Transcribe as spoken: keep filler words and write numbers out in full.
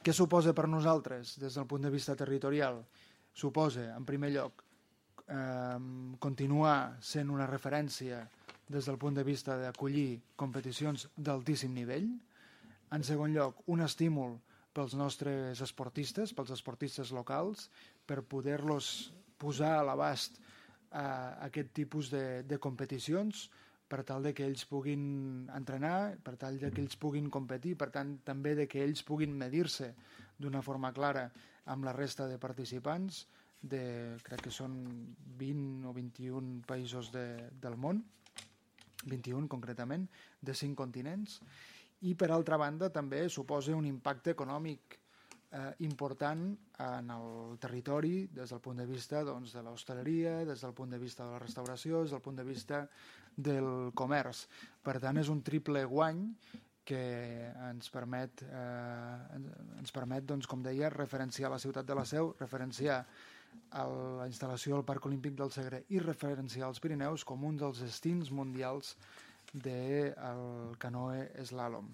Què suposa per nosaltres des del punt de vista territorial? Suposa, en primer lloc, eh, continuar sent una referència des del punt de vista d'acollir competicions d'altíssim nivell. En segon lloc, un estímul pels nostres esportistes, pels esportistes locals, per poder-los posar a l'abast a aquest tipus de, de competicions, per tal de que ells puguin entrenar, per tal de que ells puguin competir, per tant també de que ells puguin medir-se d'una forma clara amb la resta de participants, de, crec que són vint o vint-i-un països de, del món, vint-i-un concretament, de cinc continents, i per altra banda també suposa un impacte econòmic eh, important en el territori des del punt de vista doncs, de l'hostaleria, des del punt de vista de la restauració, des del punt de vista del comerç. Per tant, és un triple guany que ens permet, eh, ens permet doncs, com deia, referenciar la ciutat de la Seu, referenciar la instal·lació del Parc Olímpic del Segre i referenciar els Pirineus com un dels destins mundials del canoe slalom.